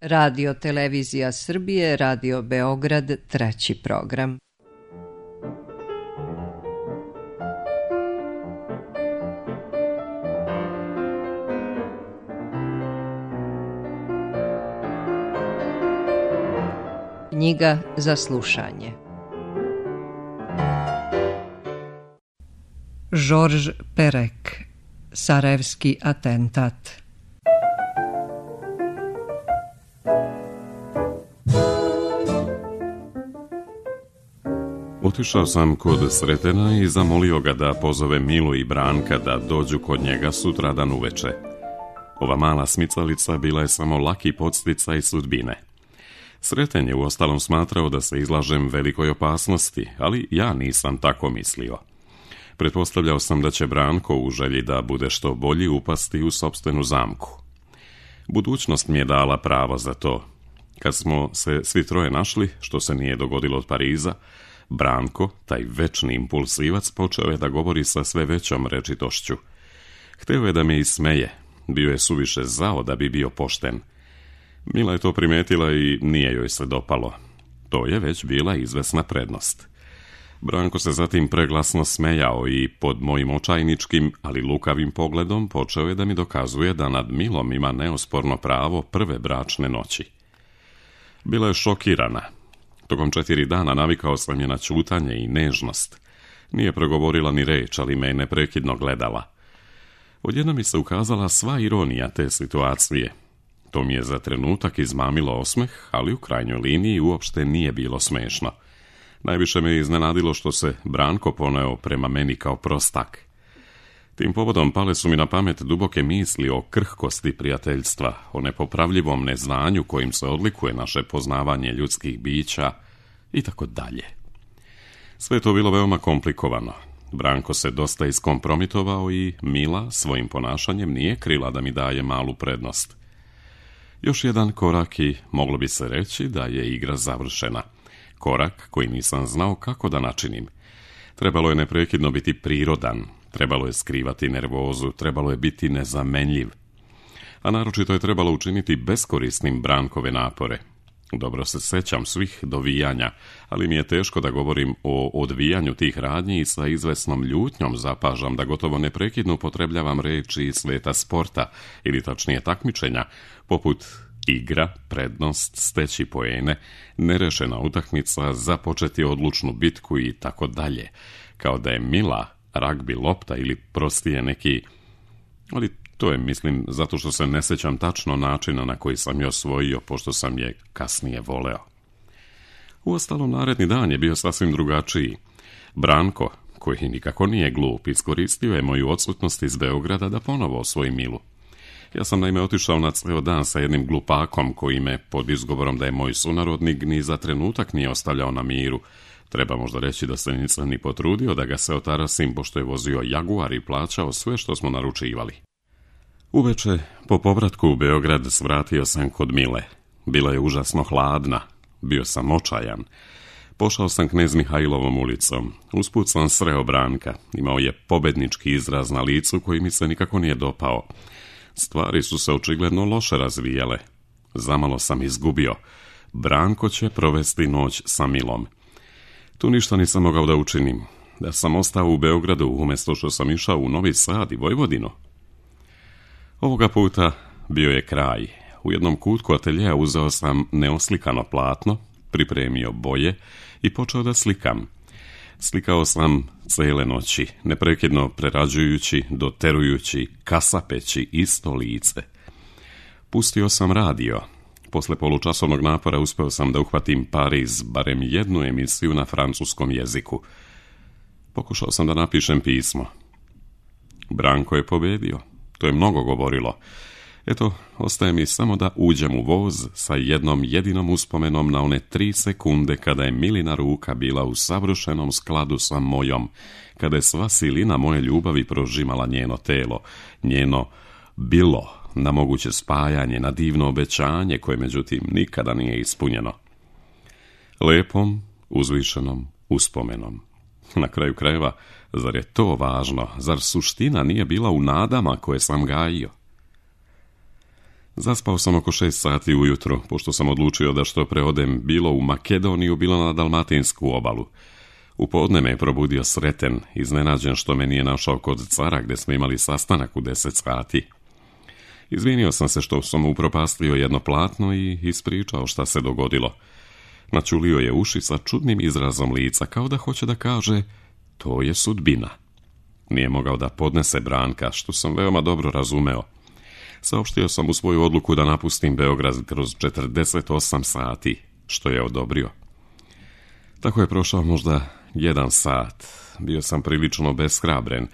Radio Televizija Srbije, Radio Beograd, treći program. Knjiga za slušanje. Georges Perec, Sarajevski atentat. Otišao sam kod Sretena i zamolio ga da pozove Milu i Branka da dođu kod njega sutradan uveče. Ova mala smicalica bila je samo laki podsticaj sudbine. Sreten je uostalom smatrao da se izlažem velikoj opasnosti, ali ja nisam tako mislio. Pretpostavljao sam da će Branko u želji da bude što bolji upasti u sopstvenu zamku. Budućnost mi je dala pravo za to. Kad smo se svi troje našli, što se nije dogodilo od Pariza, Branko, taj večni impulsivac, počeo je da govori sa sve većom rečitošću. Hteo je da me ismeje, bio je suviše zao da bi bio pošten. Mila je to primetila i nije joj se dopalo. To je već bila izvesna prednost. Branko se zatim preglasno smejao i pod mojim očajničkim, ali lukavim pogledom počeo je da mi dokazuje da nad Milom ima neosporno pravo prve bračne noći. Bila je šokirana. Tokom 4 dana navikao sam je na ćutanje i nežnost. Nije progovorila ni reč, ali me je neprekidno gledala. Odjednom mi se ukazala sva ironija te situacije. To mi je za trenutak izmamilo osmeh, ali u krajnjoj liniji uopšte nije bilo smešno. Najviše me iznenadilo što se Branko poneo prema meni kao prostak. Tim povodom pale su mi na pamet duboke misli o krhkosti prijateljstva, o nepopravljivom neznanju kojim se odlikuje naše poznavanje ljudskih bića i tako dalje. Sve je to bilo veoma komplikovano. Branko se dosta iskompromitovao i Mila svojim ponašanjem nije krila da mi daje malu prednost. Još jedan korak i moglo bi se reći da je igra završena. Korak koji nisam znao kako da načinim. Trebalo je neprekidno biti prirodan, trebalo je skrivati nervozu, trebalo je biti nezamenljiv. A naročito je trebalo učiniti beskorisnim Brankove napore. Dobro se sećam svih dovijanja, ali mi je teško da govorim o odvijanju tih radnji i sa izvesnom ljutnjom zapažam da gotovo neprekidno upotrebljavam reči iz sveta sporta, ili tačnije takmičenja, poput igra, prednost, steći poene, nerešena utakmica, započeti odlučnu bitku i tako dalje, kao da je Mila ragbi lopta ili prostije neki, ali to je, mislim, zato što se ne sećam tačno načina na koji sam je osvojio, pošto sam je kasnije voleo. Uostalom, naredni dan je bio sasvim drugačiji. Branko, koji nikako nije glup, iskoristio je moju odsutnost iz Beograda da ponovo osvoji Milu. Ja sam naime otišao na ceo dan sa jednim glupakom koji me, pod izgovorom da je moj sunarodnik, ni za trenutak nije ostavljao na miru. Treba možda reći da se nisam ni potrudio da ga se otarasim, pošto je vozio Jaguar i plaćao sve što smo naručivali. Uveče, po povratku u Beograd, svratio sam kod Mile. Bila je užasno hladna. Bio sam očajan. Pošao sam Knez Mihajlovom ulicom. Usput sam sreo Branka. Imao je pobednički izraz na licu koji mi se nikako nije dopao. Stvari su se očigledno loše razvijale. Zamalo sam izgubio. Branko će provesti noć sa Milom. Tu ništa nisam mogao da učinim. Da sam ostao u Beogradu umjesto što sam išao u Novi Sad i Vojvodinu. Ovoga puta bio je kraj. U jednom kutku ateljeja uzeo sam neoslikano platno, pripremio boje i počeo da slikam. Slikao sam cele noći, neprekidno prerađujući, doterujući, kasapeći isto lice. Pustio sam radio. Posle polučasovnog napora uspeo sam da uhvatim Pariz, barem jednu emisiju na francuskom jeziku. Pokušao sam da napišem pismo. Branko je pobedio. To je mnogo govorilo. Eto, ostaje mi samo da uđem u voz sa jednom jedinom uspomenom na one 3 sekunde kada je Milina ruka bila u savršenom skladu sa mojom, kada je sva silina moje ljubavi prožimala njeno telo, njeno bilo na moguće spajanje, na divno obećanje koje međutim nikada nije ispunjeno. Lepom, uzvišenom uspomenom. Na kraju krajeva, zar je to važno? Zar suština nije bila u nadama koje sam gajio? Zaspao sam oko 6 sati ujutro, pošto sam odlučio da što pre odem bilo u Makedoniju, bilo na Dalmatinsku obalu. U podne me je probudio Sreten, iznenađen što me nije našao kod cara gdje smo imali sastanak u 10 sati. Izvinio sam se što sam upropastio jedno platno i ispričao šta se dogodilo. Načulio je uši sa čudnim izrazom lica, kao da hoće da kaže, to je sudbina. Nije mogao da podnese Branka, što sam veoma dobro razumeo. Saopštio sam mu svoju odluku da napustim Beograd kroz 48 sati, što je odobrio. Tako je prošao možda 1 sat. Bio sam prilično beshrabren,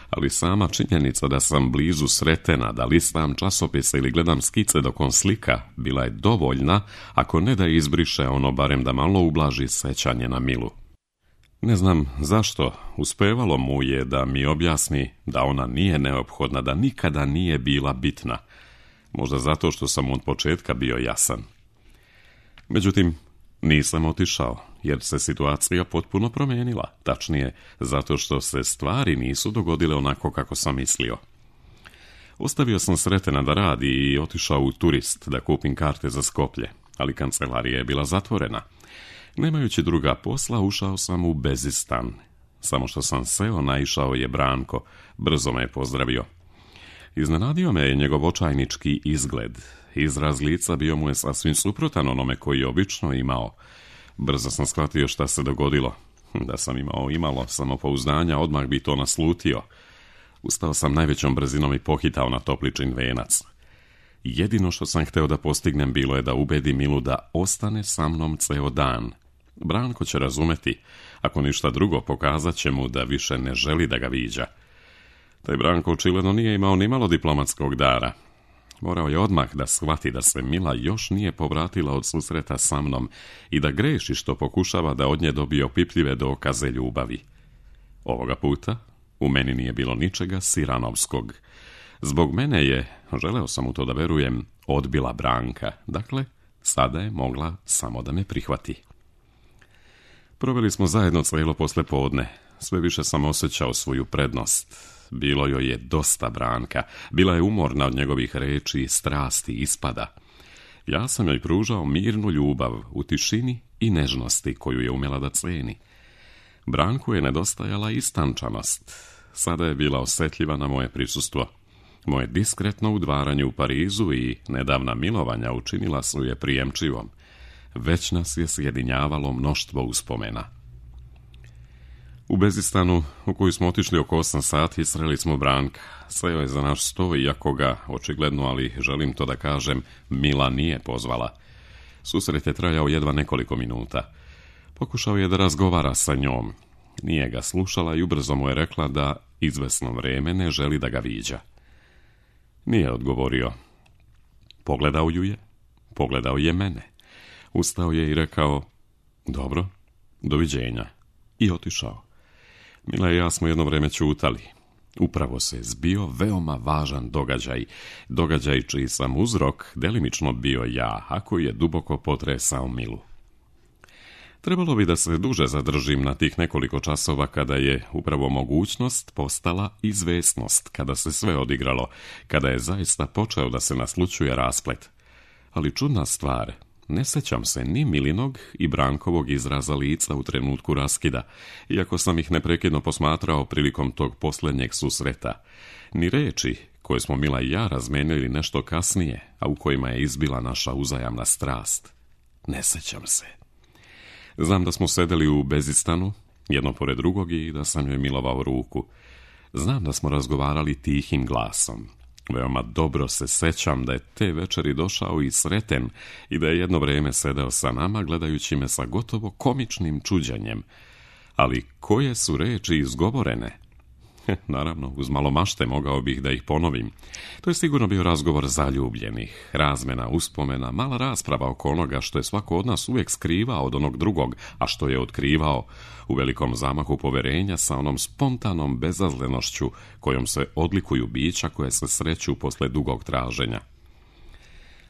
ali sama činjenica da sam blizu Sretena, da listam časopise ili gledam skice dok on slika, bila je dovoljna, ako ne da izbriše ono, barem da malo ublaži sećanje na Milu. Ne znam zašto, uspevalo mu je da mi objasni da ona nije neophodna, da nikada nije bila bitna. Možda zato što sam od početka bio jasan. Međutim, nisam otišao, jer se situacija potpuno promijenila, tačnije zato što se stvari nisu dogodile onako kako sam mislio. Ostavio sam Sretena da radi i otišao u Turist da kupim karte za Skoplje, ali kancelarija je bila zatvorena. Nemajući druga posla, ušao sam u Bezistan. Samo što sam seo, naišao je Branko, brzo me je pozdravio. Iznenadio me je njegov očajnički izgled. Izraz lica bio mu je sasvim suprotan onome koji je obično imao. Brzo sam shvatio šta se dogodilo. Da sam imao imalo samopouzdanja, odmah bi to naslutio. Ustao sam najvećom brzinom i pohitao na topličin venac. Jedino što sam hteo da postignem bilo je da ubedi Milu da ostane sa mnom ceo dan. Branko će razumeti, ako ništa drugo pokazat će mu da više ne želi da ga viđa. Taj Branko očigledno nije imao ni malo diplomatskog dara. Morao je odmah da shvati da se Mila još nije povratila od susreta sa mnom i da greši što pokušava da od nje dobije opipljive dokaze ljubavi. Ovoga puta u meni nije bilo ničega siranovskog. Zbog mene je, želeo sam u to da verujem, odbila Branka. Dakle, sada je mogla samo da me prihvati. Proveli smo zajedno cijelo poslepodne. Sve više sam osjećao svoju prednost. Bilo joj je dosta Branka. Bila je umorna od njegovih reči, strasti, ispada. Ja sam joj pružao mirnu ljubav u tišini i nežnosti koju je umjela da ceni. Branku je nedostajala istančanost. Sada je bila osjetljiva na moje prisustvo. Moje diskretno udvaranje u Parizu i nedavna milovanja učinila su je prijemčivom. Već nas je sjedinjavalo mnoštvo uspomena. U Bezistanu, u koju smo otišli oko 8 sati, sreli smo Branka. Seo je za naš sto, iako ga, očigledno, ali želim to da kažem, Mila nije pozvala. Susret je trajao jedva nekoliko minuta. Pokušao je da razgovara sa njom. Nije ga slušala i ubrzo mu je rekla da izvesno vreme ne želi da ga viđa. Nije odgovorio. Pogledao ju je, pogledao je mene. Ustao je i rekao, dobro, doviđenja. I otišao. Mila i ja smo jedno vreme ćutali. Upravo se zbio veoma važan događaj čiji sam uzrok delimično bio ja, a koji je duboko potresao Milu. Trebalo bi da se duže zadržim na tih nekoliko časova kada je upravo mogućnost postala izvesnost, kada se sve odigralo, kada je zaista počeo da se naslućuje rasplet. Ali čudna stvar, ne sećam se ni Milinog i Brankovog izraza lica u trenutku raskida, iako sam ih neprekidno posmatrao prilikom tog posljednjeg susreta, ni reči koje smo Mila i ja razmenili nešto kasnije, a u kojima je izbila naša uzajamna strast. Ne sećam se. Znam da smo sedeli u Bezistanu, jedno pored drugog, i da sam joj milovao ruku. Znam da smo razgovarali tihim glasom. Veoma dobro se sećam da je te večeri došao i Sreten i da je jedno vrijeme sedeo sa nama, gledajući me sa gotovo komičnim čuđenjem. Ali koje su reči izgovorene? Naravno, uz malo mašte mogao bih da ih ponovim. To je sigurno bio razgovor zaljubljenih, razmena uspomena, mala rasprava oko onoga što je svako od nas uvijek skrivao od onog drugog, a što je otkrivao u velikom zamahu poverenja sa onom spontanom bezazlenošću kojom se odlikuju bića koje se sreću posle dugog traženja.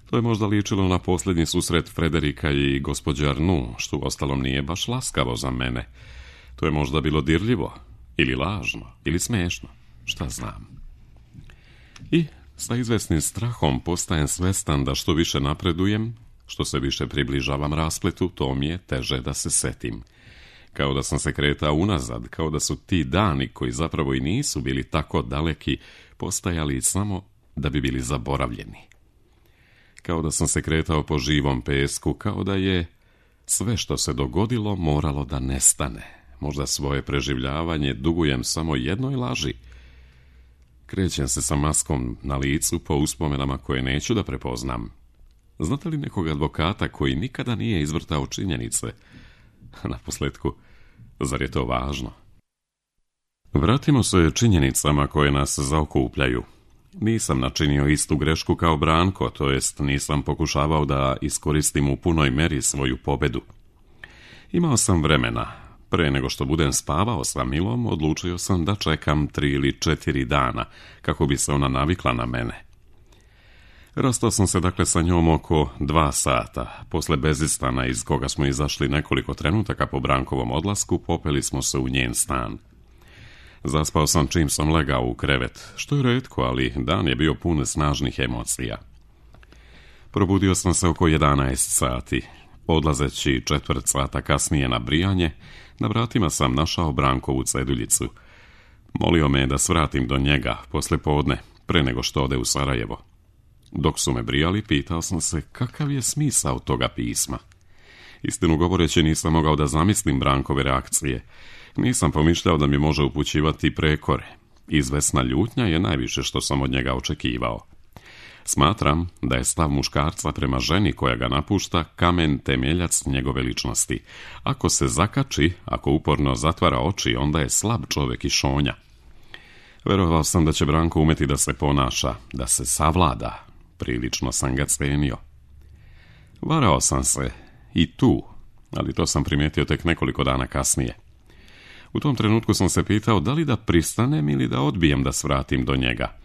To je možda ličilo na posljednji susret Frederika i gospođe Arnoux, što uostalom nije baš laskavo za mene. To je možda bilo dirljivo, ili lažno, ili smiješno, šta znam. I Sa izvesnim strahom postajem svestan da što više napredujem, što se više približavam raspletu, to mi je teže da se setim. Kao da sam se kretao unazad, kao da su ti dani, koji zapravo i nisu bili tako daleki, postajali samo da bi bili zaboravljeni. Kao da sam se kretao po živom pesku, kao da je sve što se dogodilo moralo da nestane. Možda svoje preživljavanje dugujem samo jednoj laži. Krećem se sa maskom na licu po uspomenama koje neću da prepoznam. Znate li nekog advokata koji nikada nije izvrtao činjenice? Naposletku, zar je to važno? Vratimo se činjenicama koje nas zaokupljaju. Nisam načinio istu grešku kao Branko, to jest nisam pokušavao da iskoristim u punoj meri svoju pobedu. Imao sam vremena. Pre nego što budem spavao sa Milom, odlučio sam da čekam 3 ili 4 dana, kako bi se ona navikla na mene. Rastao sam se dakle sa njom oko 2 sata. Posle bezistana iz koga smo izašli nekoliko trenutaka po Brankovom odlasku, popeli smo se u njen stan. Zaspao sam čim sam legao u krevet, što je retko, ali dan je bio pun snažnih emocija. Probudio sam se oko 11 sati. Odlazeći 1/4 sata kasnije na brijanje, na vratima sam našao Brankovu ceduljicu. Molio me da svratim do njega posle podne, pre nego što ode u Sarajevo. Dok su me brijali, pitao sam se kakav je smisao toga pisma. Istinu govoreći, nisam mogao da zamislim Brankove reakcije. Nisam pomišljao da mi može upućivati prekore. Izvesna ljutnja je najviše što sam od njega očekivao. Smatram da je stav muškarca prema ženi koja ga napušta kamen temeljac njegove ličnosti. Ako se zakači, ako uporno zatvara oči, onda je slab čovjek i šonja. Verovao sam da će Branko umeti da se ponaša, da se savlada. Prilično sam ga cenio. Varao sam se i tu, ali to sam primijetio tek nekoliko dana kasnije. U tom trenutku sam se pitao da li da pristanem ili da odbijem da svratim do njega.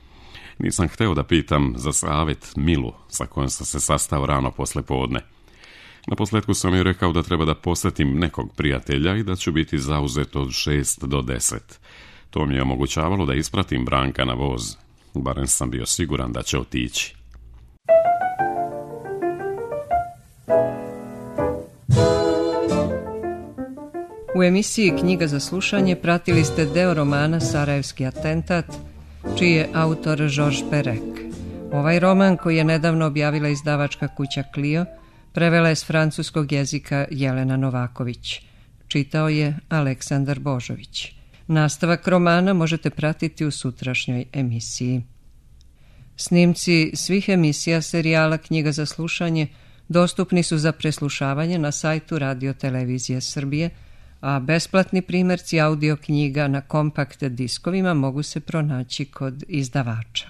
Nisam hteo da pitam za savjet Milu, sa kojom sam se sastao rano posle podne. Naposletku sam joj rekao da treba da posjetim nekog prijatelja i da ću biti zauzet od 6 do 10. To mi je omogućavalo da ispratim Branka na voz. Barem sam bio siguran da će otići. U emisiji Knjiga za slušanje pratili ste deo romana Sarajevski atentat, čiji je autor Georges Perec. Ovaj roman, koji je nedavno objavila izdavačka kuća Clio, prevela je s francuskog jezika Jelena Novaković. Čitao je Aleksandar Božović. Nastavak romana možete pratiti u sutrašnjoj emisiji. Snimci svih emisija serijala Knjiga za slušanje dostupni su za preslušavanje na sajtu Radio Televizije Srbije, a besplatni primjerci audio knjiga na kompakt diskovima mogu se pronaći kod izdavača.